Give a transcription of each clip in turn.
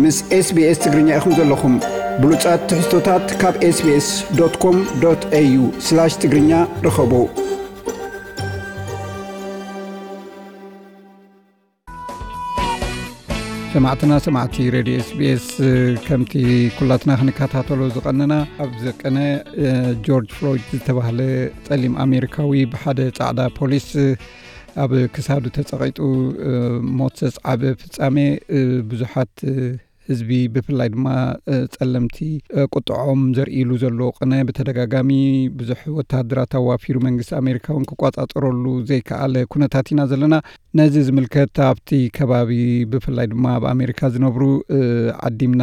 ምስ SBS ትግርኛ ኢኹም ዘለኹም። ብሉጻት ትሕዝቶታት ካብ SBS.com.au/ትግርኛ ርኸቡ። ሰማዕትና ሰማዕቲ ሬድዮ SBS፣ ከምቲ ኩላትና ክንከታተሎ ዝቐነና፣ ኣብዚ ቅነ ጆርጅ ፍሎይድ ዝተባህለ ጸሊም ኣሜሪካዊ ብሓደ ጻዕዳ ፖሊስ ኣብ ክሳዱ ተጸቒጡ ሞት ዘስዓበ ፍጻሜ ብዙሓት ህዝቢ፣ ብፍላይ ድማ ጸለምቲ፣ ቁጥዖም ዘርእሉ ዘሎ ቅነ፣ ብተደጋጋሚ ብዙሕ ወተሃደራት ኣዋፊሩ መንግስቲ ኣሜሪካ እውን ክቋጻጸረሉ ዘይከኣለ ኩነታት ኢና ዘለና። ነዚ ዝምልከት ኣብቲ ከባቢ፣ ብፍላይ ድማ ኣብ ኣሜሪካ ዝነብሩ ዓዲምና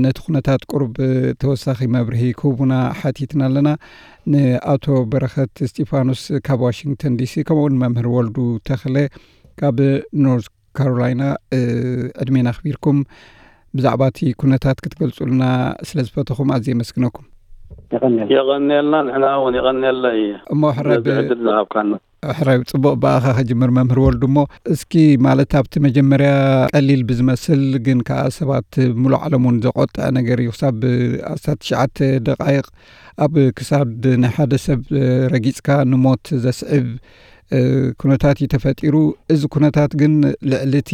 ነቲ ኩነታት ቁሩብ ተወሳኺ መብርሂ ክህቡና ሓቲትና ኣለና። ንኣቶ በረኸት እስጢፋኖስ ካብ ዋሽንግተን ዲሲ፣ ከምኡውን መምህር ወልዱ ተኽለ ካብ ኖርዝ ካሮላይና፣ ዕድሜና ኣኽቢርኩም ብዛዕባ እቲ ኩነታት ክትገልጹልና ስለ ዝፈተኹም ኣዝየ የመስግነኩም። የቐንየልና። ንሕና እውን የቐንየለይ እሞ ሕራይ ነዚ ዕድል ዝሃብካና። ሕራይ ጽቡቕ፣ ብኣኻ ከጅምር መምህር ወልዱ። እሞ እስኪ፣ ማለት፣ ኣብቲ መጀመርያ ቀሊል ብዝመስል ግን ከኣ ሰባት ሙሉእ ዓለም እውን ዘቖጥዐ ነገር እዩ። ክሳብ ኣስታት ትሽዓተ ደቓይቕ ኣብ ክሳድ ናይ ሓደ ሰብ ረጊጽካ ንሞት ዘስዕብ ኩነታት እዩ ተፈጢሩ። እዚ ኩነታት ግን ልዕሊ እቲ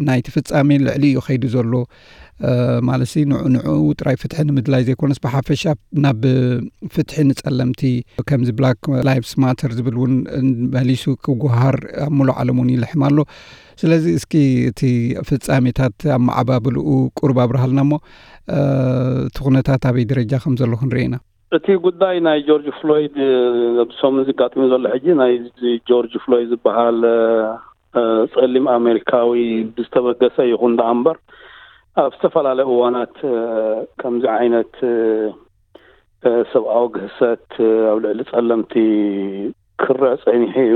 ናይቲ ፍጻሜ ልዕሊ እዩ ከይዱ ዘሎ። ማለት ንዑ ንዑ ጥራይ ፍትሒ ንምድላይ ዘይኮነስ፣ ብሓፈሻ ናብ ፍትሒ ንጸለምቲ፣ ከምዚ ብላክ ላይቭስ ማተር ዝብል እውን መሊሱ ክጓሃር ኣብ ሙሉእ ዓለም እውን ይልሕም ኣሎ። ስለዚ እስኪ እቲ ፍጻሜታት ኣመዓባብልኡ ቁሩብ ኣብርሃልና እሞ፣ እቲ ኩነታት ኣበይ ደረጃ ከም ዘሎ ክንርኢ ኢና። እቲ ጉዳይ ናይ ጆርጅ ፍሎይድ፣ ኣብዚ ሰሙን ዝጋጥም ዘሎ ሕጂ ናይ ጆርጅ ፍሎይድ ዝበሃል ጸሊም ኣሜሪካዊ ብዝተበገሰ ይኹን ደኣ እምበር፣ ኣብ ዝተፈላለየ እዋናት ከምዚ ዓይነት ሰብኣዊ ግህሰት ኣብ ልዕሊ ጸለምቲ ክረአ ጸኒሑ እዩ።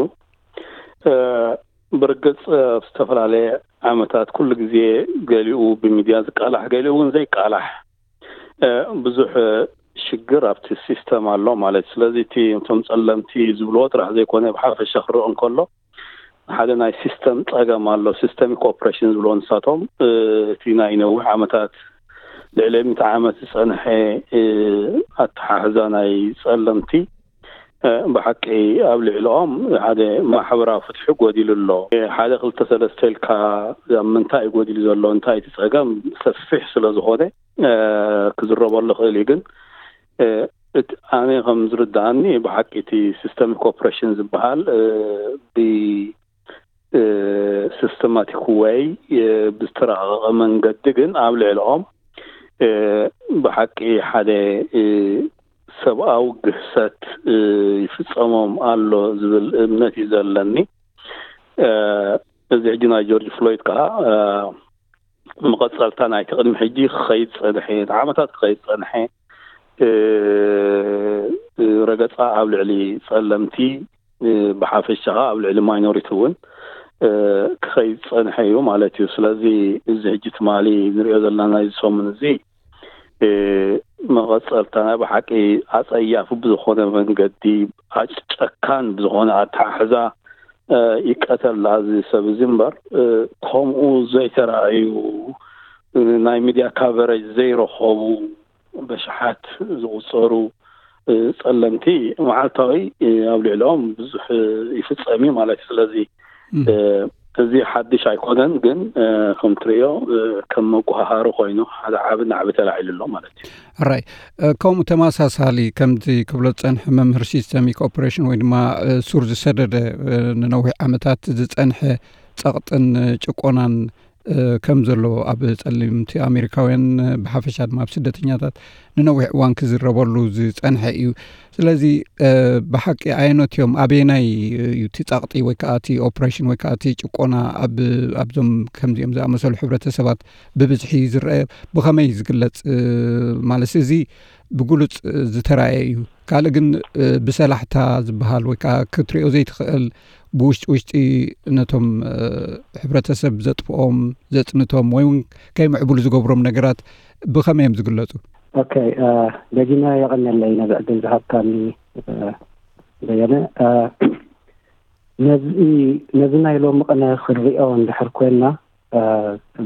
ብርግጽ ኣብ ዝተፈላለየ ዓመታት ኩሉ ግዜ ገሊኡ ብሚድያ ዝቃላሕ፣ ገሊኡ እውን ዘይቃላሕ ብዙሕ ሽግር ኣብቲ ሲስተም ኣሎ ማለት። ስለዚ እቲ እቶም ጸለምቲ ዝብልዎ ጥራሕ ዘይኮነ፣ ብሓፈሻ ክረኦ እንከሎ ሓደ ናይ ሲስተም ጸገም ኣሎ። ሲስተሚክ ኦፕሬሽን ዝብልዎ ንሳቶም፣ እቲ ናይ ነዊሕ ዓመታት፣ ልዕሊ ሚእቲ ዓመት ዝጸንሐ ኣተሓሕዛ ናይ ጸለምቲ፣ ብሓቂ ኣብ ልዕሊኦም ሓደ ማሕበራዊ ፍትሒ ጎዲሉ ኣሎ። ሓደ ክልተ ሰለስተ ኢልካ ኣብ ምንታይ እዩ ጎዲሉ ዘሎ፣ እንታይ እቲ ጸገም ሰፊሕ ስለ ዝኾነ ክዝረበሉ ክእል እዩ። ግን እቲ ኣነ ከም ዝርድኣኒ ብሓቂ እቲ ሲስተሚክ ኦፕሬሽን ዝበሃል ብ ሲስተማቲክ ወይ ብዝተራቐቐ መንገዲ ግን ኣብ ልዕሊኦም ብሓቂ ሓደ ሰብኣዊ ግህሰት ይፍጸሞም ኣሎ ዝብል እምነት እዩ ዘለኒ። እዚ ሕጂ ናይ ጆርጅ ፍሎይድ ከዓ መቐጸልታ ናይቲ ቅድሚ ሕጂ ክኸይድ ጸንሐ፣ ንዓመታት ክኸይድ ጸንሐ ረገጻ ኣብ ልዕሊ ጸለምቲ ብሓፈሻ ኣብ ልዕሊ ማይኖሪቲ እውን ክኸይድ ጸንሐ እዩ ማለት እዩ። ስለዚ እዚ ሕጂ ትማሊ ንሪኦ ዘለና ናይዚ ሰሙን እዚ መቐጸልታ ናይ ብሓቂ ኣጸያፊ ብዝኾነ መንገዲ፣ ጨካን ብዝኾነ ኣተሓሕዛ ይቀተል እዚ ሰብ እዚ እምበር፣ ከምኡ ዘይተራእዩ፣ ናይ ሚድያ ካቨሬጅ ዘይረኸቡ በሽሓት ዝቑጸሩ ጸለምቲ መዓልታዊ ኣብ ልዕሊኦም ብዙሕ ይፍጸም እዩ ማለት እዩ። ስለዚ እዚ ሓድሽ ኣይኮነን፣ ግን ከም ትርእዮ ከም መጓሃሃሪ ኮይኑ ሓደ ዓቢ ናዕቢ ተላዒሉ ኣሎ ማለት እዩ። ሕራይ፣ ከምኡ ተመሳሳሊ ከምዚ ክብሎ ዝጸንሐ መምህር፣ ሲስተሚክ ኦፕሬሽን ወይ ድማ ሱር ዝሰደደ፣ ንነዊሕ ዓመታት ዝጸንሐ ጸቕጥን ጭቆናን ከም ዘሎ ኣብ ጸለምቲ ኣሜሪካውያን፣ ብሓፈሻ ድማ ኣብ ስደተኛታት ንነዊሕ እዋን ክዝረበሉ ዝጸንሐ እዩ። ስለዚ ብሓቂ ኣየኖት እዮም፣ ኣበየናይ እዩ እቲ ጸቕጢ ወይ ከዓ እቲ ኦፕሬሽን ወይ ከዓ እቲ ጭቆና ኣብ ኣብዞም ከምዚኦም ዝኣመሰሉ ሕብረተሰባት ብብዝሒ ዝረአ? ብኸመይ ዝግለጽ? ማለት እዚ ብግሉጽ ዝተራእየ እዩ። ካልእ ግን ብሰላሕታ ዝበሃል ወይ ከዓ ክትሪኦ ዘይትኽእል፣ ብውሽጢ ውሽጢ ነቶም ሕብረተሰብ ዘጥፍኦም፣ ዘጽንቶም ወይ እውን ከይምዕብሉ ዝገብሮም ነገራት ብኸመይ እዮም ዝግለጹ? ኦኬ፣ ደጊመ የቐንየለይ ነዚ ዕድል ዝሃብካኒ በየነ። ነዚ ነዚ ናይ ሎሚ ቅነ ክንሪኦ እንድሕር ኮይንና፣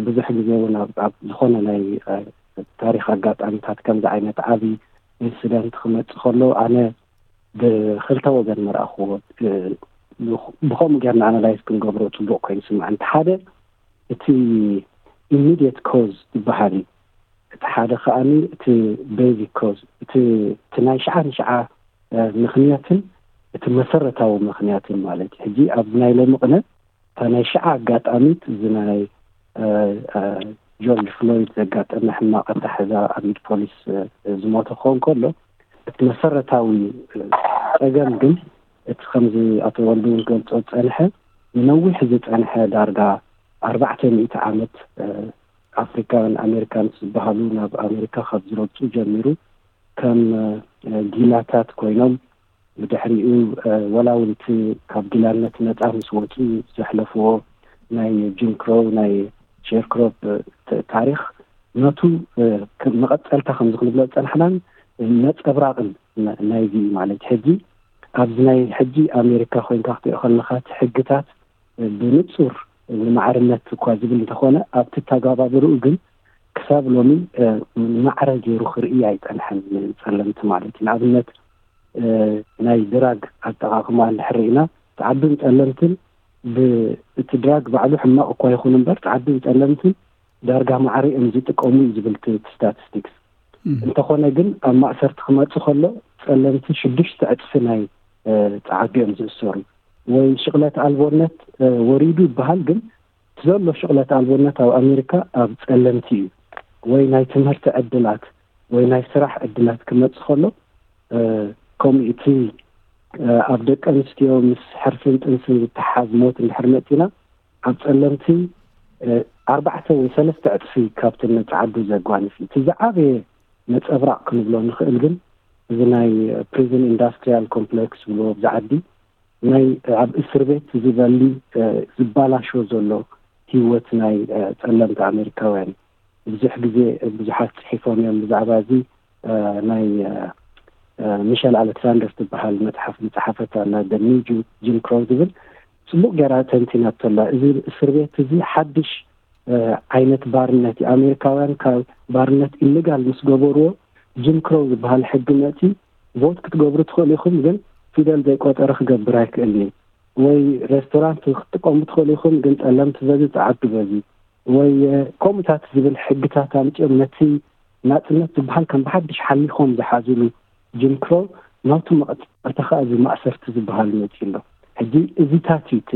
ብዙሕ ግዜ እውን ኣብ ዝኾነ ናይ ታሪክ ኣጋጣሚታት ከምዚ ዓይነት ዓብዪ ኢንስደንት ክመፅእ ከሎ ኣነ ብክልተ ወገን መርኣኽዎ። ብከምኡ ጌርና ኣናላይዝ ክንገብሮ ፅቡቅ ኮይኑ ስምዐን። እቲ ሓደ እቲ ኢሚድየት ኮዝ ዝበሃል እዩ። እቲ ሓደ ከዓኒ እቲ ቤዚክ ኮዝ፣ እቲ ናይ ሽዓ ንሽዓ ምክንያትን እቲ መሰረታዊ ምክንያትን ማለት እዩ። ሕጂ ኣብዚ ናይ ሎሚ ቅነ እታ ናይ ሽዓ ኣጋጣሚት እዚ ናይ ጆርጅ ፍሎይድ ዘጋጠመ ሕማቕ ኣታሕዛ ኣብ ኢድ ፖሊስ ዝሞተ ክኸውን ከሎ፣ እቲ መሰረታዊ ፀገም ግን እቲ ከምዚ ኣቶ ወልዱ እውን ክገልፆ ዝፀንሐ ንነዊሕ ዝፀንሐ ዳርጋ ኣርባዕተ ሚእቲ ዓመት ኣፍሪካን ኣሜሪካን ዝበሃሉ ናብ ኣሜሪካ ካብ ዝረግፁ ጀሚሩ ከም ጊላታት ኮይኖም ብድሕሪኡ ወላ እውን እቲ ካብ ጊላነት ነፃ ምስ ወፁ ዘሕለፍዎ ናይ ጂም ክሮው ናይ ሼርክሮፕ ታሪክ ነቱ መቐፀልታ ከምዚ ክንብሎ ዝፀናሕናን ነፀብራቅን ናይዚ እዩ ማለት ሕጂ ኣብዚ ናይ ሕጂ ኣሜሪካ ኮይንካ ክትሪኦ ከለካ እቲ ሕግታት ብንፁር ንማዕርነት እኳ ዝብል እንተኾነ ኣብቲ ተጋባብርኡ ግን ክሳብ ሎሚ ማዕረ ገይሩ ክርኢ ኣይፀንሐን። ፀለምቲ ማለት እዩ። ንኣብነት ናይ ድራግ ኣጠቃቅማ እንድሕር ርኢና ፃዓዱን ፀለምትን እቲ ድራግ ባዕሉ ሕማቅ እኳ ይኹን እምበር ፃዓዱን ፀለምትን ዳርጋ ማዕረ እዮም ዝጥቀሙ እዩ ዝብል እቲ ስታቲስቲክስ። እንተኾነ ግን ኣብ ማእሰርቲ ክመፁ ከሎ ፀለምቲ ሽዱሽተ ዕፅፊ ናይ ፃዓዱ እዮም ዝእሰሩ። ወይ ሽቕለት ኣልቦነት ወሪዱ ይበሃል፣ ግን እቲ ዘሎ ሽቕለት ኣልቦነት ኣብ ኣሜሪካ ኣብ ፀለምቲ እዩ። ወይ ናይ ትምህርቲ ዕድላት ወይ ናይ ስራሕ ዕድላት ክመፅእ ከሎ ከምኡ እቲ ኣብ ደቂ ኣንስትዮ ምስ ሕርፍን ጥንስን ዝተሓዝ ሞት እንድሕር መፂና ኣብ ፀለምቲ ኣርባዕተ ወይ ሰለስተ ዕፅፊ ካብቲ ነፃዓዱ ዘጓንፍ እዩ። እቲ ዝዓበየ ነፀብራቕ ክንብሎ ንኽእል ግን እዚ ናይ ፕሪዝን ኢንዳስትሪያል ኮምፕሌክስ ዝብልዎ ኣብዚ ዓዲ ናይ ኣብ እስር ቤት ዝበሊ ዝበላሾ ዘሎ ህይወት ናይ ፀለምቲ ኣሜሪካውያን ብዙሕ ግዜ ብዙሓት ፅሒፎም እዮም ብዛዕባ እዚ። ናይ ሚሸል ኣሌክሳንደር ትበሃል መፅሓፍ ዝፀሓፈት ኣላ ኒው ጂም ክሮው ዝብል ፅቡቅ ገይራ ተንቲናቶ ኣላ። እዚ እስር ቤት እዚ ሓድሽ ዓይነት ባርነት እዩ። ኣሜሪካውያን ካብ ባርነት ኢሌጋል ምስ ገበርዎ ጂም ክሮው ዝበሃል ሕጊ መፂ ቮት ክትገብሩ ትኽእሉ ኢኹም፣ ግን ፊደል ዘይቆጠረ ክገብር ኣይክእል እዩ። ወይ ሬስቶራንት ክትጥቀሙ ትኽእሉ ኢኹም፣ ግን ፀለምቲ በዚ ፀዓዱ በዚ ወይ ከምኡታት ዝብል ሕግታት ኣምፂኦም ነቲ ናፅነት ዝበሃል ከም ብሓድሽ ሓሊኾም ዝሓዝሉ ጂም ክሮው ናቱ መቐፀልታ ከዓ እዚ ማእሰርቲ ዝበሃል መፂ ኣሎ። ሕጂ እዚታት እዩ እቲ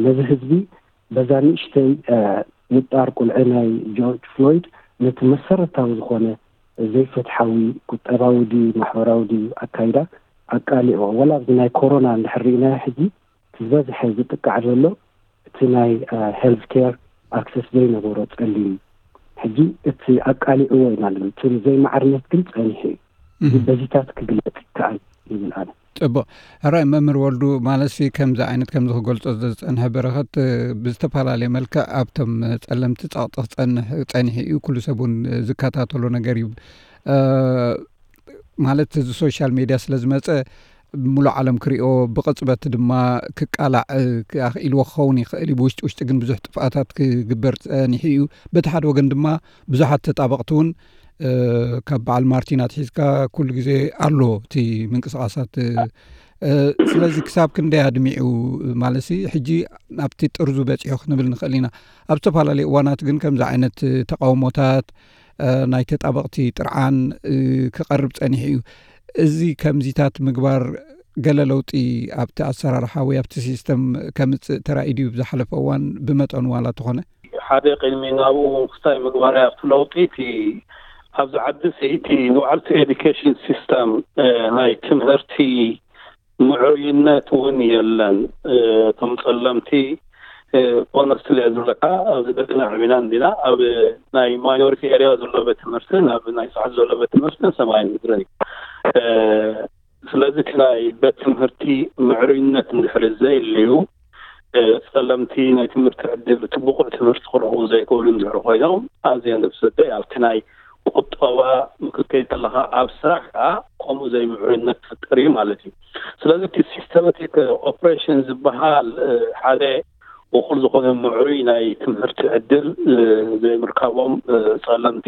ነዚ ህዝቢ በዛ ንእሽተይ ምጣር ቁልዒ ናይ ጆርጅ ፍሎይድ ነቲ መሰረታዊ ዝኾነ ዘይፍትሓዊ ቁጠባዊ ድዩ ማሕበራዊ ድዩ ኣካይዳ ኣቃሊዕዎ። ወላ ኣብዚ ናይ ኮሮና እንድሕር ርኢናዮ ሕጂ ዝበዝሐ ዝጥቃዕ ዘሎ እቲ ናይ ሄልት ኬር ኣክሰስ ዘይነበሮ ፀሊም ሕጂ እቲ ኣቃሊዕዎ ኢና ንብል። እቲ ዘይማዕርነት ግን ፀኒሑ እዩ። በዚታት ክግለፅ ይከኣል ይብል ኣነ። ፅቡቅ። ሕራይ መምህር ወልዱ ማለትሲ ከምዚ ዓይነት ከምዚ ክገልፆ ዝፀንሐ በረኸት ብዝተፈላለየ መልክዕ ኣብቶም ፀለምቲ ፀቕጢ ክፀንሕ ፀኒሑ እዩ። ኩሉ ሰብ እውን ዝከታተሎ ነገር እዩ። ማለት እዚ ሶሻል ሜድያ ስለ ዝመፀ ሙሉእ ዓለም ክሪኦ ብቕፅበት ድማ ክቃላዕ ኣኽኢልዎ ክኸውን ይኽእል እዩ። ብውሽጢ ውሽጢ ግን ብዙሕ ጥፍኣታት ክግበር ፀኒሑ እዩ። በቲ ሓደ ወገን ድማ ብዙሓት ተጣበቕቲ እውን ካብ በዓል ማርቲን ኣትሒዝካ ኩሉ ግዜ ኣሎ እቲ ምንቅስቃሳት። ስለዚ ክሳብ ክንደይ ኣድሚዑ ማለት ሕጂ ኣብቲ ጥርዙ በፂሑ ክንብል ንኽእል ኢና። ኣብ ዝተፈላለዩ እዋናት ግን ከምዚ ዓይነት ተቃውሞታት ናይ ተጣበቕቲ ጥርዓን ክቐርብ ፀኒሑ እዩ። እዚ ከምዚታት ምግባር ገለ ለውጢ ኣብቲ ኣሰራርሓ ወይ ኣብቲ ሲስተም ከምፅእ ተራእዩ ድዩ ብዝሓለፈ እዋን ብመጠኑ ዋላ ተኾነ? ሓደ ቅድሚ ናብኡ ክስታይ ምግባር ኣብቲ ለውጢ እቲ ኣብዚ ዓዲ እቲ ንባዕልቲ ኤዱኬሽን ሲስተም ናይ ትምህርቲ ምዕሩይነት እውን የለን። እቶም ፀለምቲ ኦነስትሊ ዝብለካ ኣብዚ ደቅና ዕቢና እንዲና ኣብ ናይ ማይኖሪቲ ኤሪያ ዘሎ ቤት ትምህርትን ኣብ ናይ ስዓት ዘሎ ቤት ትምህርትን ሰማይን ምድርን እዩ። ስለዚ እቲ ናይ ቤት ትምህርቲ ምዕሩይነት እንድሕሪ ዘይልዩ ፀለምቲ ናይ ትምህርቲ ዕድል እቲ ብቑዕ ትምህርቲ ክረኽቡ ዘይክእሉ እንድሕሪ ኮይኖም ኣዝዮም ዘብሰደ ኣብቲ ናይ ቁጠባ ምክከይ ከለካ ኣብ ስራሕ ከዓ ከምኡ ዘይምዕሩይነት ትፍጥር እዩ ማለት እዩ። ስለዚ እቲ ሲስተማቲክ ኦፕሬሽን ዝበሃል ሓደ እኹል ዝኾነ ምዕሩይ ናይ ትምህርቲ ዕድል ዘይምርካቦም ጸለምቲ፣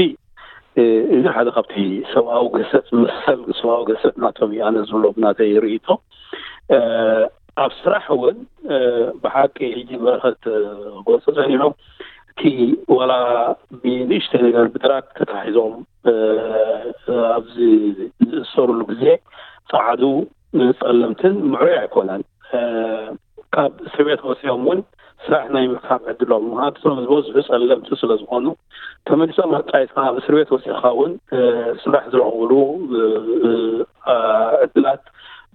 እዚ ሓደ ካብቲ ሰብኣዊ ገሰት፣ መሰል ሰብኣዊ ገሰት ናቶም እዩ ኣነ ዝብሎ ብናተይ ርእይቶ። ኣብ ስራሕ እውን ብሓቂ ሕጂ በረኸት ክገልጾ ጸኒሑ፣ እቲ ዋላ ብንእሽተይ ነገር ብድራግ ተታሒዞም ኣብዚ ዝእሰሩሉ ግዜ ጸዓዱ ጸለምትን ምዕሩይ ኣይኮነን። ካብ እስር ቤት ወፂኦም እውን ስራሕ ናይ ምርካብ ዕድሎም፣ ምክንያቱ እቶም ዝበዝሑ ጸለምቲ ስለ ዝኾኑ፣ ተመሊሶም ኣብ ጣይታ ኣብ እስር ቤት ወፂእኻ እውን ስራሕ ዝረኽብሉ ዕድላት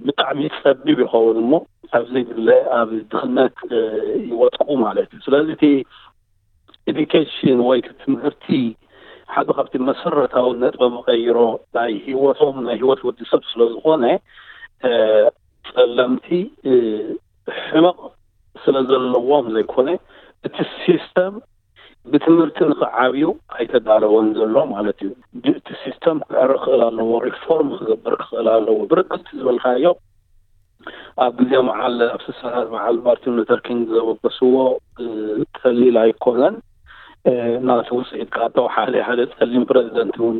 ብጣዕሚ ጸቢብ ይኸውን እሞ፣ ኣብ ዘይድለ ኣብ ድኽነት ይወጥቁ ማለት እዩ። ስለዚ እቲ ኤዱኬሽን ወይ እቲ ትምህርቲ ሓደ ካብቲ መሰረታዊ ነጥበ መቐይሮ ናይ ህይወቶም፣ ናይ ህይወት ወዲ ሰብ ስለ ዝኾነ፣ ጸለምቲ ሕመቕ ስለ ዘለዎም ዘይኮነ፣ እቲ ሲስተም ብትምህርቲ ንኽዓብዩ ኣይተዳለወን ዘሎ ማለት እዩ። እቲ ሲስተም ክዕረ ክኽእል ኣለዎ፣ ሪፎርም ክገብር ክኽእል ኣለዎ። ብርግጽ ዝበልካዮ ኣብ ግዜ መዓል ኣብ ስሳታት መዓል ማርቲን ሉተር ኪንግ ዘበገስዎ ቀሊል ኣይኮነን። ናቲ ውፅኢት ካቶ ሓደ ሓደ ጸሊም ፕረዚደንት እውን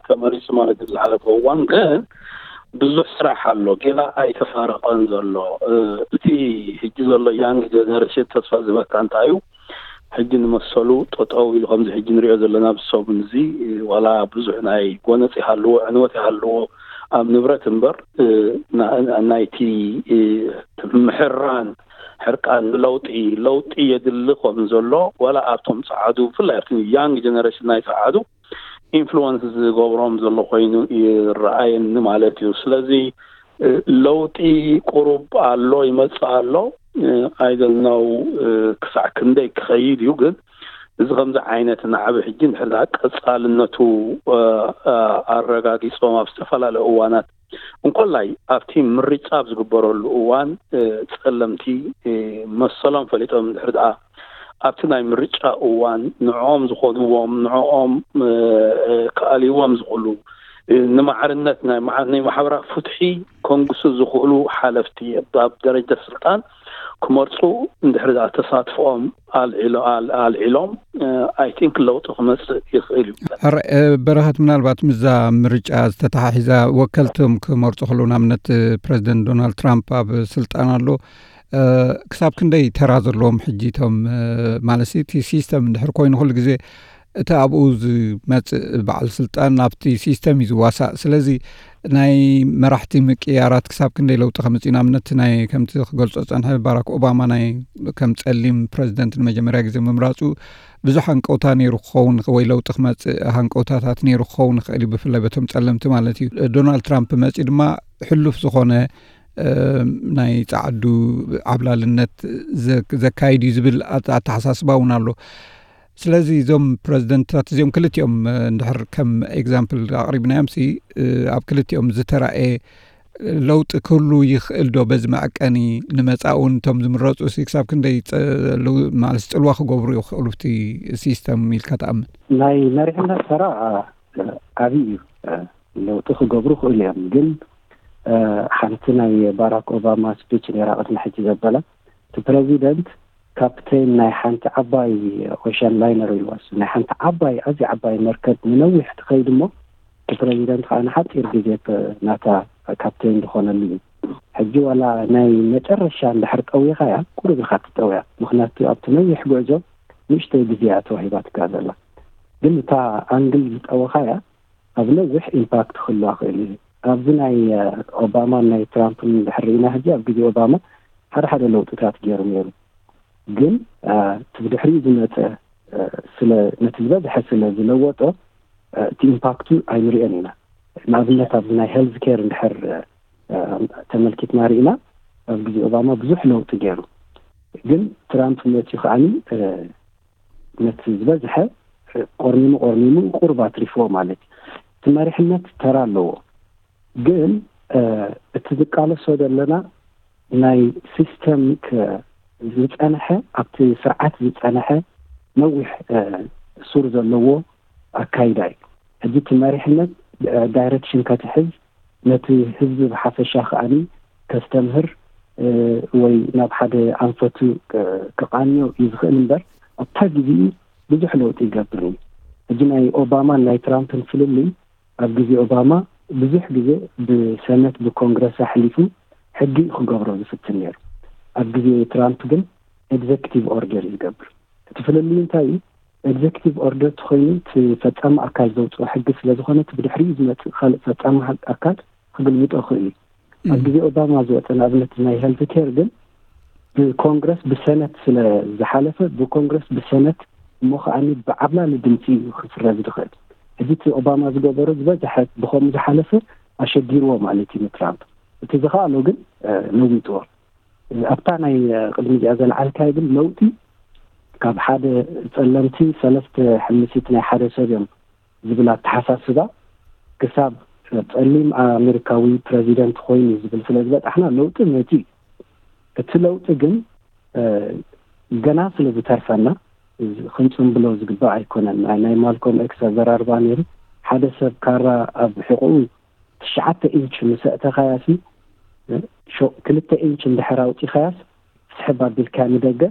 ተመሪፁ ማለት እዩ። ዝሓለፈ እዋን ግን ብዙሕ ስራሕ ኣሎ፣ ገና ኣይተፋረቐን ዘሎ። እቲ ሕጂ ዘሎ ያንግ ጀነሬሽን ተስፋ ዝበካ እንታይ እዩ? ሕጂ ንመሰሉ ጠጠው ኢሉ ከምዚ ሕጂ ንሪኦ ዘለና ብሰሙን እዚ ዋላ ብዙሕ ናይ ጎነፅ ይሃልዎ፣ ዕንወት ይሃልዎ ኣብ ንብረት እምበር ናይቲ ምሕራን ሕርቃን ንለውጢ፣ ለውጢ የድሊ ከም ዘሎ ዋላ ኣብቶም ጸዓዱ፣ ብፍላይ ኣብቲ ያንግ ጀነሬሽን ናይ ጸዓዱ ኢንፍሉወንስ ዝገብሮም ዘሎ ኮይኑ ይረኣየኒ ማለት እዩ። ስለዚ ለውጢ ቁሩብ ኣሎ፣ ይመጽእ ኣሎ። ኣይደልነው ክሳዕ ክንደይ ክኸይድ እዩ ግን እዚ ከምዚ ዓይነት ናዕቢ ሕጂ እንድሕር ደኣ ቀጻልነቱ ኣረጋጊጾም ኣብ ዝተፈላለዩ እዋናት እንኮላይ ኣብቲ ምርጫ ኣብ ዝግበረሉ እዋን ጸለምቲ መሰሎም ፈሊጦም እንድሕር ደኣ ኣብቲ ናይ ምርጫ እዋን ንዕኦም ዝኾንዎም ንዕኦም ክኣልይዎም ዝኽእሉ ንማዕርነት ናይ ማዕርነት ማሕበራዊ ፍትሒ ከንግሱ ዝኽእሉ ሓለፍቲ ኣብ ደረጃ ስልጣን ክመርፁ እንድሕር ደኣ ተሳትፎኦም ኣልዒሎም ኣይ ቲንክ ለውጢ ክመፅእ ይኽእል እዩ። ሕረ በረኸት፣ ምናልባት ምዛ ምርጫ ዝተተሓሒዛ ወከልቶም ክመርፁ ከለዉ ንኣብነት ፕረዚደንት ዶናልድ ትራምፕ ኣብ ስልጣን ኣሎ። ክሳብ ክንደይ ተራ ዘለዎም ሕጂ እቶም ማለት እቲ ሲስተም እንድሕር ኮይኑ ኩሉ ግዜ እቲ ኣብኡ ዝመፅእ በዓል ስልጣን ኣብቲ ሲስተም እዩ ዝዋሳእ። ስለዚ ናይ መራሕቲ ምቅያራት ክሳብ ክንደይ ለውጢ ከምፅእ እዩ? ንኣብነት ናይ ከምቲ ክገልፆ ዝፀንሐ ባራክ ኦባማ ናይ ከም ጸሊም ፕረዚደንት ንመጀመርያ ግዜ ምምራፁ ብዙሕ ሃንቀውታ ነይሩ ክኸውን ወይ ለውጢ ክመፅእ ሃንቀውታታት ነይሩ ክኸውን ይኽእል እዩ፣ ብፍላይ በቶም ጸለምቲ ማለት እዩ። ዶናልድ ትራምፕ መፂኡ ድማ ሕሉፍ ዝኾነ ናይ ጻዕዱ ዓብላልነት ዘካይድ እዩ ዝብል ኣተሓሳስባ እውን ኣሎ። ስለዚ እዞም ፕረዚደንትታት እዚኦም ክልቲኦም እንድሕር ከም ኤግዛምፕል ኣቕሪብናዮም ሲ ኣብ ክልቲኦም ዝተራእየ ለውጢ ክህሉ ይኽእል ዶ? በዚ መዐቀኒ ንመጻእውን እቶም ዝምረፁ ሲ ክሳብ ክንደይ ማለት ፅልዋ ክገብሩ ይኽእሉ ብቲ ሲስተም ኢልካ ትኣምን? ናይ መሪሕነት ተራ ዓብዪ እዩ። ለውጢ ክገብሩ ይኽእሉ እዮም። ግን ሓንቲ ናይ ባራክ ኦባማ ስፒች ነይራ ቅድሚ ሕጂ ዘበላ፣ እቲ ፕረዚደንት ካፕቴን ናይ ሓንቲ ዓባይ ኦሽን ላይነር ኢልዋ፣ ናይ ሓንቲ ዓባይ ኣዝያ ዓባይ መርከብ ንነዊሕ ትኸይድ እሞ እቲ ፕረዚደንት ከዓ ንሓፂር ግዜ ናታ ካፕቴን ዝኾነሉ እዩ። ሕጂ ዋላ ናይ መጨረሻ እንድሕር ጠዊኻያ ቁሩብ ኢኻ ትጠውያ፣ ምክንያቱ ኣብቲ ነዊሕ ጉዕዞ ንእሽተይ ግዜ እያ ተዋሂባትካ ዘላ። ግን እታ ኣንግል ዝጠወኻያ ኣብ ነዊሕ ኢምፓክት ክህልዋ ክእል እዩ። ኣብዚ ናይ ኦባማን ናይ ትራምፕን እንድሕር ርኢና ሕጂ ኣብ ግዜ ኦባማ ሓደ ሓደ ለውጥታት ገይሩ ነይሩ። ግን እቲ ብድሕሪኡ ዝመፀ ስለ ነቲ ዝበዝሐ ስለ ዝለወጦ እቲ ኢምፓክቱ ኣይንሪኦን ኢና። ንኣብነት ኣብዚ ናይ ሄልዝ ኬር እንድሕር ተመልኪትና ርኢና ኣብ ግዜ ኦባማ ብዙሕ ለውጢ ገይሩ። ግን ትራምፕ መፅኡ ከዓኒ ነቲ ዝበዝሐ ቆርኒሙ ቆርኒሙ ቁሩብ ኣትሪፍዎ ማለት እዩ። እቲ መሪሕነት ተራ ኣለዎ። ግን እቲ ዝቃለሶ ዘለና ናይ ሲስተም ዝፀንሐ ኣብቲ ስርዓት ዝፀንሐ ነዊሕ ሱር ዘለዎ ኣካይዳ እዩ። ሕጂ እቲ መሪሕነት ዳይሬክሽን ከትሕዝ ነቲ ህዝቢ ብሓፈሻ ከዓኒ ከስተምህር ወይ ናብ ሓደ ኣንፈቱ ክቃንዮ እዩ ዝኽእል እምበር ኣብታ ግዜኡ ብዙሕ ለውጢ ይገብር እዩ። ሕጂ ናይ ኦባማን ናይ ትራምፕን ፍልልይ ኣብ ግዜ ኦባማ ብዙሕ ግዜ ብሰነት ብኮንግረስ ኣሕሊፉ ሕጊ ክገብሮ ዝፍትን ነይሩ። ኣብ ግዜ ትራምፕ ግን ኤግዘክቲቭ ኦርደር ይገብር። እቲ ፍልልይ እንታይ እዩ? ኤግዘክቲቭ ኦርደር ተኮይኑ እቲ ፈጻሚ ኣካል ዘውፅኦ ሕጊ ስለዝኮነ እቲ ብድሕሪኡ ዝመፅእ ካልእ ፈጻሚ ኣካል ክግልብጦ ክእል እዩ። ኣብ ግዜ ኦባማ ዝወፀ ንኣብነት ናይ ሄልት ኬር ግን ብኮንግረስ ብሰነት ስለ ዝሓለፈ ብኮንግረስ ብሰነት እሞ ከዓኒ ብዓብላሊ ድምፂ እዩ ክስረዝ ዝኽእል። ሕጂ እቲ ኦባማ ዝገበሮ ዝበዝሐ ብከምኡ ዝሓለፈ ኣሸጊርዎ ማለት እዩ ንትራምፕ። እቲ ዝኸኣሎ ግን ለዊጥዎ። ኣብታ ናይ ቅድሚ እዚኣ ዘልዓልካዮ ግን ለውጢ ካብ ሓደ ጸለምቲ ሰለስተ ሕምሲት ናይ ሓደ ሰብ እዮም ዝብል ኣተሓሳስባ ክሳብ ጸሊም ኣሜሪካዊ ፕረዚደንት ኮይኑ ዝብል ስለ ዝበጻሕና ለውጢ መጺ። እቲ ለውጢ ግን ገና ስለ ዝተርፈና ክንጽንብሎ ዝግባእ ኣይኮነን። ናይ ማልኮም ኤክስ ኣዘራርባ ነይሩ። ሓደ ሰብ ካራ ኣብ ሕቑኡ ትሽዓተ ኢንች ምስ ኣእተኻያሲ፣ ክልተ ኢንች እንድሕር ኣውፂኻያስ ስሕብ ኣቢልካ ንደገ።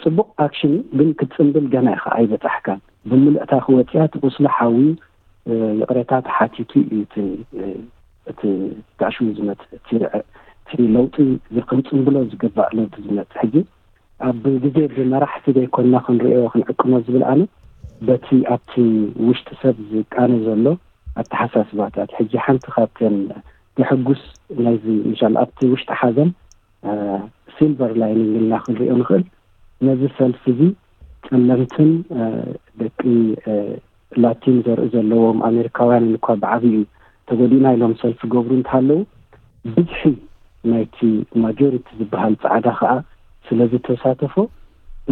ጽቡቕ ኣክሽን እዩ፣ ግን ክትጽንብል ገና ኢኻ ኣይበጻሕካን። ብምልእታ ክወፅያ እቲ ቁስሊ ሓዊ ይቕሬታ ተሓቲቱ እዩ እቲ እቲ ጋሽሙ ዝመፅእ እቲ ለውጢ ክንጽንብሎ ዝግባእ ለውጢ ዝመፅእ ሕጂ ኣብ ግዜ ብመራሕቲ ዘይኮንና ክንሪኦ ክንዕቅኖ ዝብል ኣነ በቲ ኣብቲ ውሽጢ ሰብ ዝቃነ ዘሎ ኣተሓሳስባታት። ሕጂ ሓንቲ ካብተን ዘሐጉስ ናይዚ ምሻል ኣብቲ ውሽጢ ሓዘን ሲልቨር ላይኒንግ ኢልና ክንሪኦ ንኽእል። ነዚ ሰልፊ እዚ ጸለምትን ደቂ ላቲን ዘርኢ ዘለዎም ኣሜሪካውያንን እኳ ብዓብዩ ተጎዲእና ኢሎም ሰልፊ ገብሩ እንተሃለዉ ብዝሒ ናይቲ ማጆሪቲ ዝበሃል ጻዕዳ ከዓ ስለ ዝተሳተፎ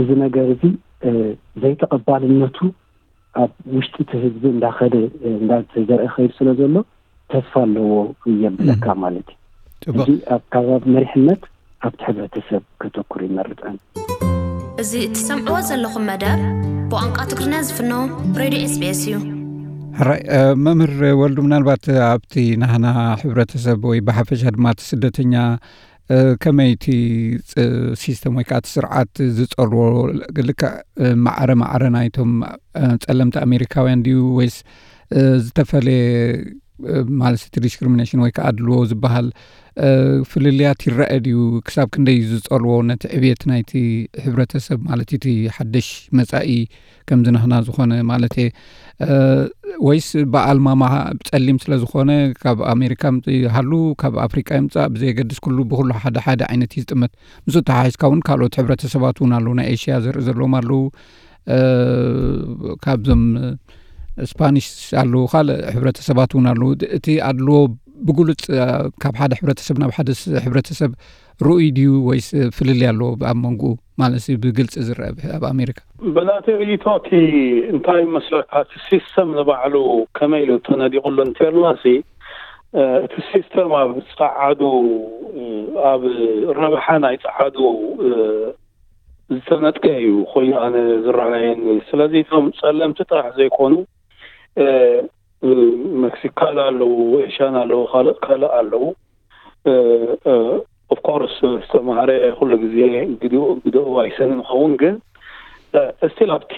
እዚ ነገር እዚ ዘይተቐባልነቱ ኣብ ውሽጢ እቲ ህዝቢ እንዳኸደ እንዳተዘርአ ከይድ ስለ ዘሎ ተስፋ ኣለዎ የብለካ ማለት እዩ። ሕጂ ኣብ ከባቢ መሪሕነት ኣብቲ ሕብረተሰብ ከተኩር ይመርጸን። እዚ እትሰምዕዎ ዘለኹም መደብ ብቋንቋ ትግርኛ ዝፍኖ ሬድዮ ኤስቢኤስ እዩ። ሕራይ መምህር ወልዱ፣ ምናልባት ኣብቲ ናህና ሕብረተሰብ ወይ ብሓፈሻ ድማ እቲ ስደተኛ ከመይ እቲ ሲስተም ወይ ከዓ እቲ ስርዓት ዝፀርዎ ልክዕ ማዕረ ማዕረ ናይቶም ፀለምቲ ኣሜሪካውያን ድዩ ወይስ ዝተፈለየ ማለት እቲ ዲስክሪሚኔሽን ወይ ከዓ ኣድልዎ ዝበሃል ፍልልያት ይረአ ድዩ? ክሳብ ክንደይ እዩ ዝፀልዎ ነቲ ዕብየት ናይቲ ሕብረተሰብ ማለት እቲ ሓደሽ መፃኢ ከምዚ ናህና ዝኾነ ማለት እየ ወይስ በዓል ማማ ፀሊም ስለ ዝኾነ ካብ ኣሜሪካ ምፅእ ይሃሉ ካብ ኣፍሪቃ ይምፃእ ብዘየገድስ ኩሉ ብኩሉ ሓደ ሓደ ዓይነት እዩ ዝጥመት። ምስ ተሓሒዝካ እውን ካልኦት ሕብረተሰባት እውን ኣለዉ ናይ ኤሽያ ዘርኢ ዘለዎም ኣለዉ ካብዞም ስፓኒሽ ኣለዉ ካልእ ሕብረተሰባት እውን ኣለዉ። እቲ ኣድልዎ ብግሉፅ ካብ ሓደ ሕብረተሰብ ናብ ሓደ ሕብረተሰብ ርኡይ ድዩ ወይስ ፍልልይ ኣለዎ ኣብ መንጎኡ ማለት ብግልፂ ዝረአ ኣብ ኣሜሪካ? ብናተይ ርእይቶ እቲ እንታይ መስለካ እቲ ሲስተም ንባዕሉ ከመይ ኢሉ ተነዲቑሉ እንተልና ሲ እቲ ሲስተም ኣብ ፃዓዱ ኣብ ረብሓ ናይ ፃዓዱ ዝተነጥቀ እዩ ኮይኑ ኣነ ዝረኣየኒ። ስለዚ እቶም ፀለምቲ ጥራሕ ዘይኮኑ መክሲካን ኣለዉ፣ ኤሽያን ኣለዉ፣ ካልእ ካልእ ኣለዉ። ኦፍኮርስ ዝተማህረ ኩሉ ግዜ ግድኡ ግድኡ ኣይሰንን ይኸውን ግን እስቲል ኣብቲ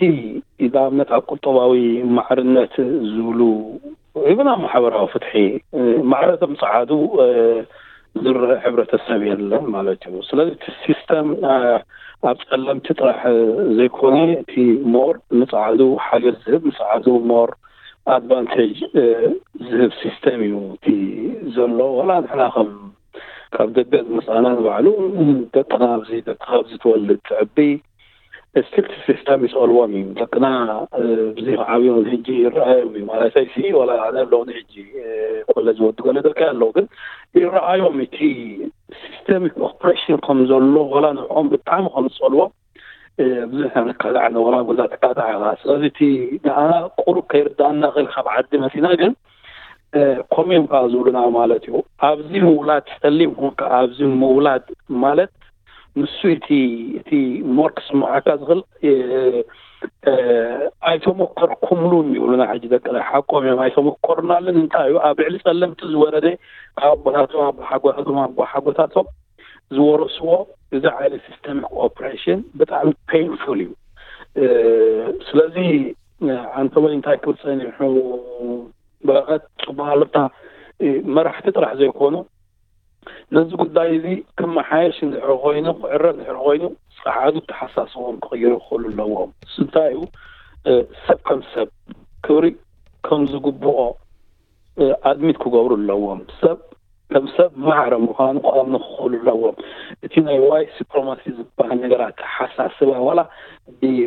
ንኣብነት ኣብ ቁጠባዊ ማዕርነት ዝብሉ ኢብን ኣብ ማሕበራዊ ፍትሒ ማዕረ እቶም ፀዓዱ ዝረአ ሕብረተሰብ የለን ማለት እዩ። ስለዚ እቲ ሲስተም ኣብ ፀለምቲ ጥራሕ ዘይኮነ እቲ ሞር ንፀዓዱ ሓገዝ ዝህብ ንፀዓዱ ሞር ኣድቫንቴጅ ዝህብ ሲስተም እዩ እቲ ዘሎ። ዋላ ንሕና ከም ካብ ደገ ዝመፃና ንባዕሉ ደቅና ኣብዚ ደቅኻ ኣብዚ ትወልድ ትዕቢ ስቲል እቲ ሲስተም ይስእልዎም እዩ። ደቅና ብዚ ክዓብዩ ንሕጂ ይረኣዮም እዩ ማለተይ ሲ ዋላ ኣነ ኣለውኒ ሕጂ ኮለጅ ወዲ ገለ ደቂ ኣለዉ ግን ይረኣዮም እቲ ሲስተሚክ ኦፕሬሽን ከም ዘሎ ዋላ ንዕኦም ብጣዕሚ ከም ዝፀልዎም ብዙሕ ነካታዕ ንወላ ጎዛ ተካታዕ ኢኻ። ስለዚ እቲ ንኣና ቁሩብ ከይርዳእና ክእል ካብ ዓዲ መፂና ግን ኮሜም ከዓ ዝብሉና ማለት እዩ። ኣብዚ ምውላድ ፀሊም ኮንካ ኣብዚ ምውላድ ማለት ንሱ እቲ እቲ ሞር ክስምዓካ ዝኽእል ኣይተመኮርኩምሉን ይብሉና። ሕጂ ደቅና ሓቆም እዮም ኣይተመኮርናሉን። እንታይ እዩ ኣብ ልዕሊ ፀለምቲ ዝወረደ ካብ ኣቦታቶም ኣቦሓጎታቶም ኣቦሓጎታቶም ዝወረስዎ እዚ ዓይነት ሲስተሚክ ኦፕሬሽን ብጣዕሚ ፔንፉል እዩ። ስለዚ ኣንቶኒ እንታይ ክብል ፀኒሑ፣ በረኸት ፅቡቅ ኣለታ፣ መራሕቲ ጥራሕ ዘይኮኑ ነዚ ጉዳይ እዚ ክመሓየሽ እንድሕር ኮይኑ፣ ክዕረ እንድሕር ኮይኑ፣ ፀዓዱ ተሓሳስቦም ክቕይሩ ክኽእሉ ኣለዎም። እንታይ እዩ? ሰብ ከም ሰብ ክብሪ ከም ዝግብኦ ኣድሚት ክገብሩ ኣለዎም። ሰብ ከም ሰብ ማዕረ ምዃኑ ክኣምኑ ክኽእሉ ኣለዎም። እቲ ናይ ዋይት ሱፕረማሲ ዝበሃል ነገር ኣተሓሳስባ ዋላ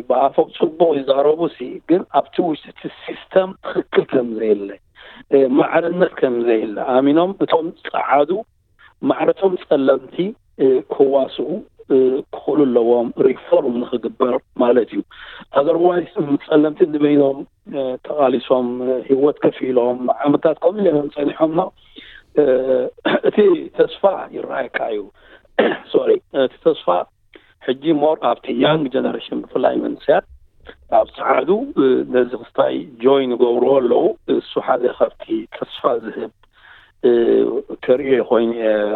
ብኣፎም ፅቡቅ ይዛረቡ ሲ፣ ግን ኣብቲ ውሽጢ እቲ ሲስተም ትኽክል ከም ዘየለ፣ ማዕርነት ከም ዘየለ ኣሚኖም እቶም ፀዓዱ ማዕረቶም ፀለምቲ ክዋስኡ ክኽእሉ ኣለዎም፣ ሪፎርም ንክግበር ማለት እዩ። ኣዘርዋይስ ፀለምቲ ንበይኖም ተቃሊሶም፣ ሂወት ከፊሎም ዓመታት ከምኡ ኢሎም ፀኒሖም ነው። እቲ ተስፋ ይረኣየካ እዩ። ሶሪ፣ እቲ ተስፋ ሕጂ ሞር ኣብቲ ያንግ ጀነሬሽን ብፍላይ መንስያት ኣብ ፀዓዱ ነዚ ክስታይ ጆይን ይገብርዎ ኣለዉ። እሱ ሓደ ካብቲ ተስፋ ዝህብ ተርእዮ ኮይኑ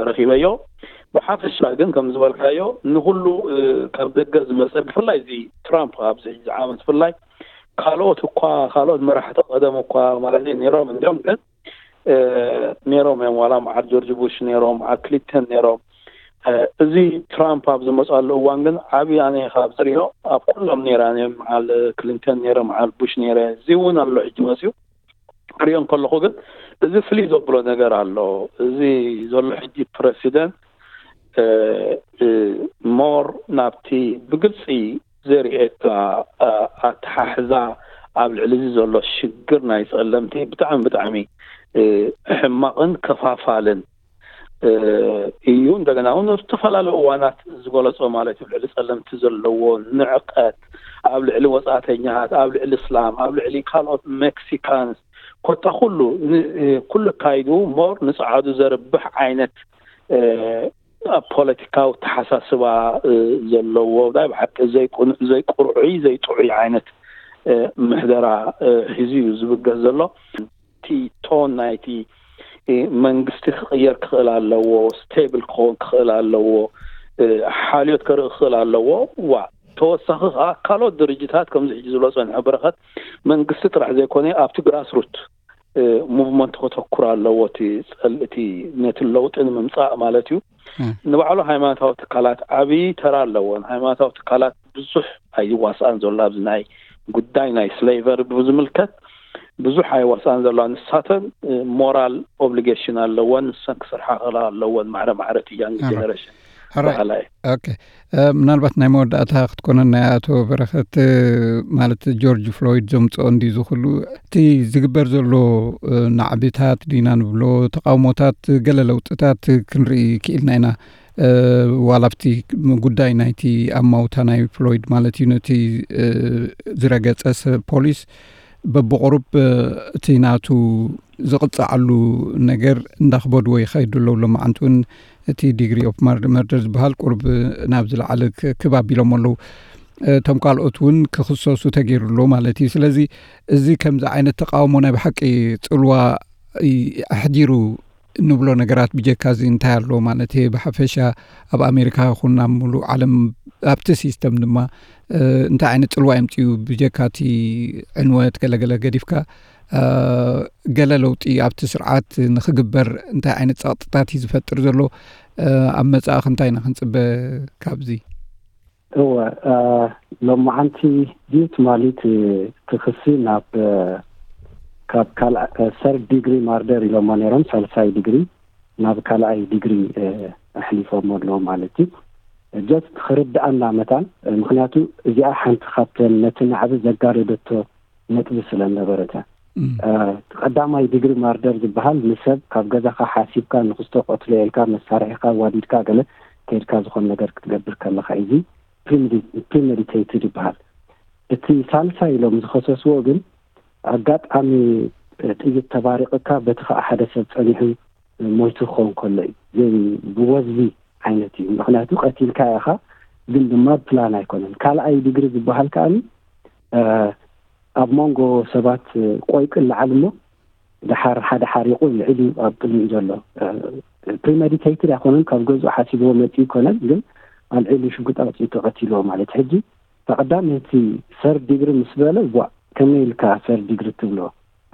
ረኪበዮ። ብሓፈሻ ግን ከም ዝበልካዮ ንኩሉ ካብ ደገ ዝመፀ ብፍላይ እዚ ትራምፕ ኣብዚ ዓመት ብፍላይ ካልኦት እኳ ካልኦት መራሕቲ ቀደም እኳ ማለት ነይሮም እንዲም ግን ነይሮም እዮም። ዋላ መዓል ጆርጅ ቡሽ ነይሮም፣ መዓል ክሊንተን ነይሮም። እዚ ትራምፕ ኣብ ዝመፅኣሉ እዋን ግን ዓብዪ ኣነ ካብ ዝሪኦ ኣብ ኩሎም ነይራ እዮም። መዓል ክሊንተን ነይረ፣ መዓል ቡሽ ነይረ፣ እዚ እውን ኣሎ ሕጂ መፅዩ ክሪኦ እንከለኹ ግን እዚ ፍልይ ዘብሎ ነገር ኣሎ። እዚ ዘሎ ሕጂ ፕረሲደንት ሞር ናብቲ ብግልፂ ዘርእየካ ኣተሓሕዛ ኣብ ልዕሊ እዚ ዘሎ ሽግር ናይ ፀለምቲ ብጣዕሚ ብጣዕሚ ሕማቕን ከፋፋልን እዩ። እንደገና እውን ኣብ ዝተፈላለዩ እዋናት ዝገለፆ ማለት እዩ ልዕሊ ፀለምቲ ዘለዎ ንዕቀት ኣብ ልዕሊ ወፃእተኛታት፣ ኣብ ልዕሊ እስላም፣ ኣብ ልዕሊ ካልኦት ሜክሲካንስ ኮታ ኩሉ ኩሉ ካይዱ ሞር ንፀዓዱ ዘርብሕ ዓይነት ፖለቲካዊ ተሓሳስባ ዘለዎ ናይ ብሓቂ ዘይቁርዑይ ዘይጥዑይ ዓይነት ምሕደራ ሒዙ እዩ ዝብገስ ዘሎ። እቲ ቶን ናይቲ መንግስቲ ክቕየር ክኽእል ኣለዎ፣ ስቴብል ክኸውን ክኽእል ኣለዎ፣ ሓልዮት ከርኢ ክኽእል ኣለዎ። ዋ ተወሳኺ ከዓ ካልኦት ድርጅታት ከምዚ ሕጂ ዝብሎ ፀንሐ በረኸት መንግስቲ ጥራሕ ዘይኮነ ኣብቲ ግራስሩት ሙቭመንት ከተኩር ኣለዎ። እቲ ፀል- እቲ ነቲ ለውጢ ንምምፃእ ማለት እዩ። ንባዕሉ ሃይማኖታዊ ትካላት ዓብዪ ተራ ኣለዎን። ሃይማኖታዊ ትካላት ብዙሕ ኣይዋስኣን ዘሎ ኣብዚ ናይ ጉዳይ ናይ ስሌቨሪ ብዝምልከት ብዙሕ ኣይዋስኣን ዘለዋ። ንሳተን ሞራል ኦብሊጌሽን ኣለወን። ንሰን ክሰርሓ ክላ ኣለወን። ማዕረ ማዕረ እቲ ያንግ ጀነሬሽን በሃላይ። ምናልባት ናይ መወዳእታ ክትኮነን ናይ ኣቶ በረኸት ማለት ጆርጅ ፍሎይድ ዘምፅኦ እንዲ ዝኽሉ እቲ ዝግበር ዘሎ ናዕብታት ዲና ንብሎ ተቃውሞታት ገለ ለውጥታት ክንርኢ ክኢልና ኢና። ዋላ ኣብቲ ጉዳይ ናይቲ ኣማውታ ናይ ፍሎይድ ማለት እዩ ነቲ ዝረገፀ ሰብ ፖሊስ በብቁሩብ እቲ ናቱ ዝቕፃዓሉ ነገር እንዳክበድዎ ይኸይዱ ኣለዉ። ሎማዓንቲ እውን እቲ ዲግሪ ኦፍ መርደር ዝበሃል ቁርብ ናብ ዝለዓለ ክብ ኣቢሎም ኣለዉ። እቶም ካልኦት እውን ክኽሰሱ ተገይሩ ኣሎ ማለት እዩ። ስለዚ እዚ ከምዚ ዓይነት ተቃውሞ ናይ ብሓቂ ፅልዋ ኣሕዲሩ ንብሎ ነገራት ብጀካ እዚ እንታይ ኣሎ ማለት እየ ብሓፈሻ ኣብ ኣሜሪካ ይኹን ኣብ ሙሉእ ዓለም ኣብቲ ሲስተም ድማ እንታይ ዓይነት ፅልዋ የምፅኡ ብጀካ እቲ ዕንወት ገለገለ ገዲፍካ ገለ ለውጢ ኣብቲ ስርዓት ንክግበር እንታይ ዓይነት ፀቕጥታት እዩ ዝፈጥር ዘሎ? ኣብ መፃእኽ እንታይ ኢና ክንፅበ ካብዚ? እወ ሎማዓንቲ ድዩ ትማሊት ክኽሲ ናብ ካብ ካልኣ ሰርድ ዲግሪ ማርደር ኢሎሞ ነይሮም ሳልሳይ ዲግሪ ናብ ካልኣይ ዲግሪ ኣሕሊፎሞ ኣለዉ ማለት እዩ። ጀስት ክርድኣና መታን ምክንያቱ እዚኣ ሓንቲ ካብተን ነቲ ናዕቢ ዘጋደደቶ ነጥቢ ስለ ነበረተ ቀዳማይ ዲግሪ ማርደር ዝበሃል ንሰብ ካብ ገዛኻ ሓሲብካ ንክስቶ ክቅትሎ ኢልካ መሳርሒካ ዋዲድካ ገለ ከይድካ ዝኾን ነገር ክትገብር ከለካ እዚ ፕሪሜዲቴትድ ይበሃል። እቲ ሳልሳይ ኢሎም ዝኸሰስዎ ግን ኣጋጣሚ ጥይት ተባሪቕካ በቲ ከዓ ሓደ ሰብ ፀኒሑ ሞይቱ ክኸውን ከሎ እዩ። ዘይ ብወዝቢ ዓይነት እዩ። ምክንያቱ ቀቲልካ ኢኻ ግን ድማ ፕላን ኣይኮነን። ካልኣይ ዲግሪ ዝበሃል ከዓኒ ኣብ መንጎ ሰባት ቆይቁ ይለዓል እሞ ደሓር ሓደ ሓሪቑ ልዕሊኡ ኣብ ቅድሚኡ ዘሎ ፕሪመዲቴትድ ኣይኮነን፣ ካብ ገዝኡ ሓሲብዎ መፂኡ ይኮነን፣ ግን ኣልዒሉ ሽጉጥ ኣውፂኡ ተቐቲልዎ ማለት። ሕጂ ተቐዳሚ እቲ ሰርድ ዲግሪ ምስ በለ፣ ቧ፣ ከመይ ኢልካ ሰርድ ዲግሪ ትብሎ?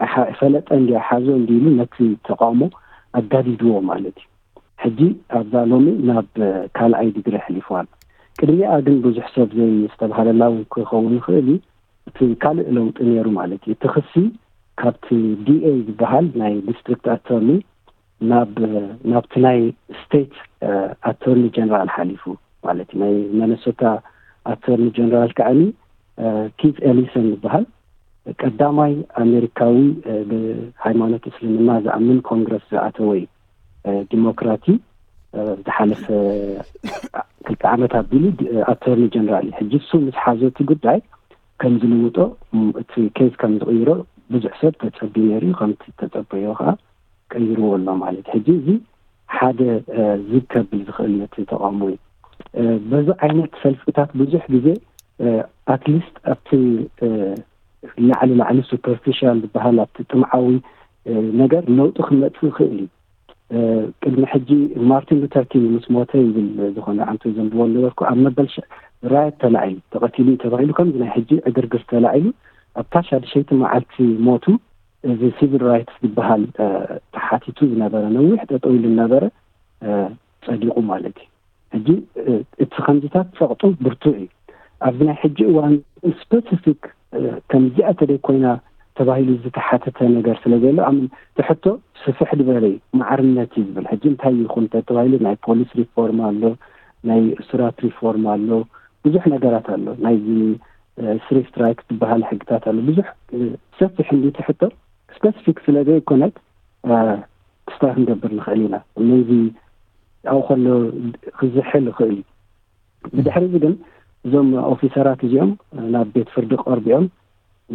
ኣይሓ- ፈለጠ እንዲ ሓዞ እንዲ ኢሉ ነቲ ተቃውሞ ኣጋዲድዎ ማለት እዩ። ሕጂ ኣብዛ ሎሚ ናብ ካልኣይ ዲግሪ ኣሕሊፍዋ ኣሎ። ቅድሚኣ ግን ብዙሕ ሰብ ዘይስተብሃለላ እውን ክኸውን ይኽእል እዩ። እቲ ካልእ ለውጢ ነይሩ ማለት እዩ። እቲ ክሲ ካብቲ ዲኤ ዝበሃል ናይ ዲስትሪክት ኣቶርኒ ናብ ናብቲ ናይ ስቴት ኣቶርኒ ጀነራል ሓሊፉ ማለት እዩ። ናይ መነሶታ ኣቶርኒ ጀነራል ከዓኒ ኪት ኤሊሰን ዝበሃል ቀዳማይ ኣሜሪካዊ ብሃይማኖት እስልምና ዝኣምን ኮንግረስ ዝኣተወ እዩ። ዲሞክራቲ ዝሓለፈ ክልተ ዓመት ኣቢሉ ኣቶርኒ ጀነራል እዩ። ሕጂ እሱ ምስ ሓዞ እቲ ጉዳይ ከም ዝልውጦ፣ እቲ ኬዝ ከም ዝቕይሮ ብዙሕ ሰብ ተጸብዩ ነይሩ እዩ። ከምቲ ተጸበዮ ከዓ ቀይርዎ ኣሎ ማለት። ሕጂ እዚ ሓደ ዝግ ከብል ዝኽእል እዩ እቲ ተቃውሞ እዩ። በዚ ዓይነት ሰልፍታት ብዙሕ ግዜ ኣትሊስት ኣብቲ ላዕሊ ላዕሊ ሱፐርፊሻል ዝበሃል ኣብቲ ጥምዓዊ ነገር ለውጢ ክመፅእ ይኽእል እዩ። ቅድሚ ሕጂ ማርቲን ሉተር ኪንግ ምስ ሞተ ይብል ዝኾነ ዓንቶ ዘንብቦ ነበርኩ፣ ኣብ መበል ራየት ተላዒሉ ተቐቲሉ እዩ ተባሂሉ ከምዚ ናይ ሕጂ ዕግርግር ተላዒሉ ኣብታ ሻድሸይቲ መዓልቲ ሞቱ እዚ ሲቪል ራይትስ ዝበሃል ተሓቲቱ ዝነበረ ነዊሕ ጠጠው ኢሉ ነበረ ጸዲቑ ማለት እዩ። ሕጂ እቲ ከምዚታት ጸቕጡ ብርቱዕ እዩ። ኣብዚ ናይ ሕጂ እዋን ስፔሲፊክ ከምዚኣ ተደይ ኮይና ተባሂሉ ዝተሓተተ ነገር ስለ ዘሎ ኣምን ትሕቶ ስፍሕ ዝበለ እዩ። ማዕርነት እዩ ዝብል ሕጂ እንታይ ይኹን ተተባሂሉ ናይ ፖሊስ ሪፎርም ኣሎ፣ ናይ እሱራት ሪፎርም ኣሎ፣ ብዙሕ ነገራት ኣሎ። ናይዚ ስሪ ስትራይክ ዝበሃል ሕግታት ኣሎ። ብዙሕ ሰፊሕ እንዲ ትሕቶ ስፔሲፊክ ስለ ዘይኮነት ክስታይ ክንገብር ንኽእል ኢና። ነዚ ኣብኡ ከሎ ክዝሕል ይኽእል እዩ። ብድሕሪ እዚ ግን እዞም ኦፊሰራት እዚኦም ናብ ቤት ፍርዲ ቀርቢኦም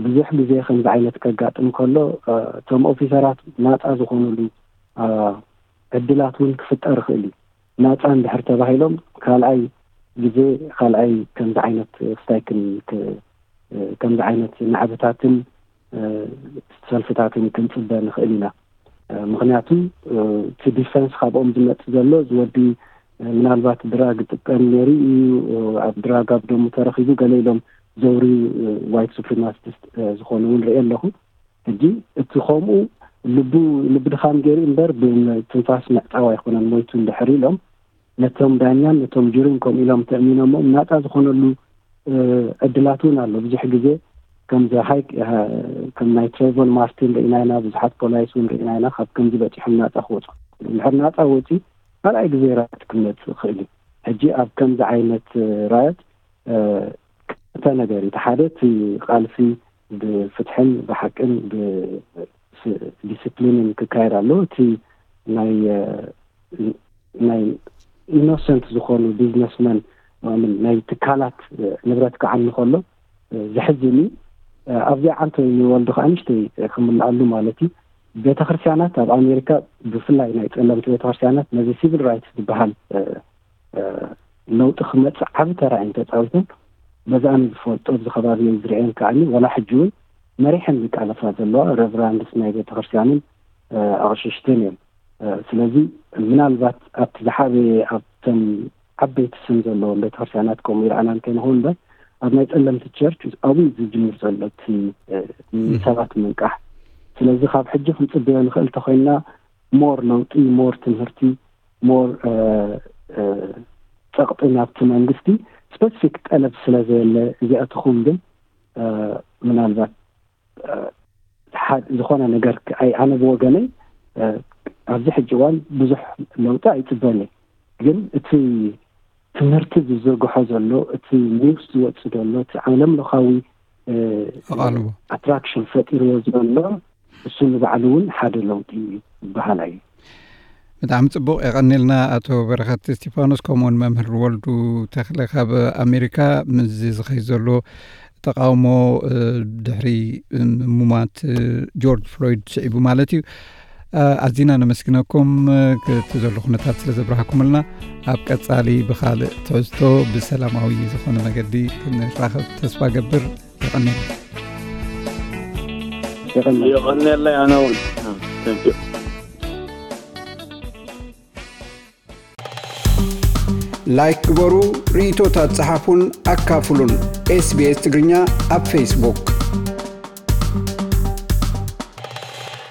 ብዙሕ ግዜ ከምዚ ዓይነት ከጋጥም ከሎ እቶም ኦፊሰራት ናፃ ዝኾኑሉ ዕድላት እውን ክፍጠር ይኽእል እዩ። ናፃ እንድሕር ተባሂሎም ካልኣይ ግዜ ካልኣይ ከምዚ ዓይነት ክስታይ ክን- ክ- ከምዚ ዓይነት ናዕብታትን ሰልፍታትን ክንፅበ ንኽእል ኢና። ምክንያቱ እቲ ዲፈንስ ካብኦም ዝመፅእ ዘሎ እዚ ወዲ ምናልባት ድራግ ይጥቀም ነይሩ እዩ፣ ኣብ ድራግ ኣብ ደሙ ተረኺቡ ገለ ኢሎም ዘውሪ ዋይት ሱፕሪማሲስት ዝኾኑ እውን ርኢ ኣለኹ። ሕጂ እቲ ከምኡ ልቡ ልቢ ድኻም ገይሩ እምበር ብትንፋስ ምዕፃው ኣይኮነን ሞይቱ እንድሕር ኢሎም ነቶም ዳኛን ነቶም ጁሪን ከምኡ ኢሎም ተእሚኖሞም ናፃ ዝኾነሉ ዕድላት እውን ኣሎ። ብዙሕ ግዜ ከምዚ ሃይ ከም ናይ ትሬቨን ማርቲን ርኢና ኢና፣ ብዙሓት ፖላይስ እውን ርኢና ኢና። ካብ ከምዚ በፂሖም ናፃ ክወፁ እንድሕር ናፃ ወፂ ካልኣይ ግዜ ራየት ክመፅእ ይኽእል እዩ። ሕጂ ኣብ ከምዚ ዓይነት ራየት ክልተ ነገር እዩ። እቲ ሓደ እቲ ቃልሲ ብፍትሕን ብሓቅን ብዲስፕሊንን ክካየድ ኣለዎ። እቲ ናይ ናይ ኢኖሰንት ዝኾኑ ቢዝነስመን ናይ ትካላት ንብረት ክዓኒ ከሎ ዘሕዝን እዩ። ኣብዚኣ ዓንቶ ንወልዱ ከዓ ንሽተይ ክምልኣሉ ማለት እዩ። ቤተክርስትያናት ኣብ ኣሜሪካ ብፍላይ ናይ ጸለምቲ ቤተክርስትያናት ነዚ ሲቪል ራይትስ ዝበሃል ለውጢ ክመፅእ ዓብ ተራ እየን ተፃዊተን። በዚ ኣነ ዝፈልጦ ኣብዚ ከባቢ ዝርአየን ከዓኒ ዋላ ሕጂ እውን መሪሐን ዝቃለሳ ዘለዋ ረቨራንድስ ናይ ቤተክርስትያንን ኣቕሽሽትን እዮም። ስለዚ ምናልባት ኣብቲ ዝሓበየ ኣብተን ዓበይቲ ስም ዘለዎም ቤተክርስትያናት ከምኡ ይረኣና እንከይንኸውን እምበር ኣብ ናይ ጸለምቲ ቸርች ኣብኡ እዩ ዝጅምር ዘሎ እቲ ሰባት ምንቃሕ። ስለዚ ካብ ሕጂ ክንጽበዮ ንኽእል እንተኮይንና ሞር ለውጢ፣ ሞር ትምህርቲ፣ ሞር ጸቕጢ ናብቲ መንግስቲ ስፐሲፊክ ጠለብ ስለ ዘየለ እዚኣትኹም ግን ምናልባት ዝኾነ ነገር ኣነ ብወገነይ ኣብዚ ሕጂ እዋን ብዙሕ ለውጢ ኣይፅበን። ግን እቲ ትምህርቲ ዝዝርግሖ ዘሎ እቲ ኒውስ ዝወፅ ዘሎ እቲ ዓለም ለኻዊ ኣቓልቦ ኣትራክሽን ፈጢርዎ ዘሎ እሱ ንባዕሉ እውን ሓደ ለውጢ እዩ ዝበሃል እዩ። ብጣዕሚ ጽቡቕ የቐኒልና ኣቶ በረኸት እስቲፋኖስ፣ ከምኡውን መምህር ወልዱ ተኽለ ካብ ኣሜሪካ ምስዚ ዝኸይ ዘሎ ተቃውሞ ድሕሪ ምሙማት ጆርጅ ፍሎይድ ስዒቡ ማለት እዩ። ኣዚና ነመስግነኩም ክቲ ዘሎ ኩነታት ስለ ዘብረሃኩምልና። ኣብ ቀጻሊ ብኻልእ ትሕዝቶ ብሰላማዊ ዝኾነ መገዲ ክንራኸብ ተስፋ ገብር። የቐኒልና። የቐኒልና ኣነ እውን። ላይክ ግበሩ፣ ርእይቶታት ጸሓፉን ኣካፍሉን። SBS ትግርኛ ኣብ ፌስቡክ።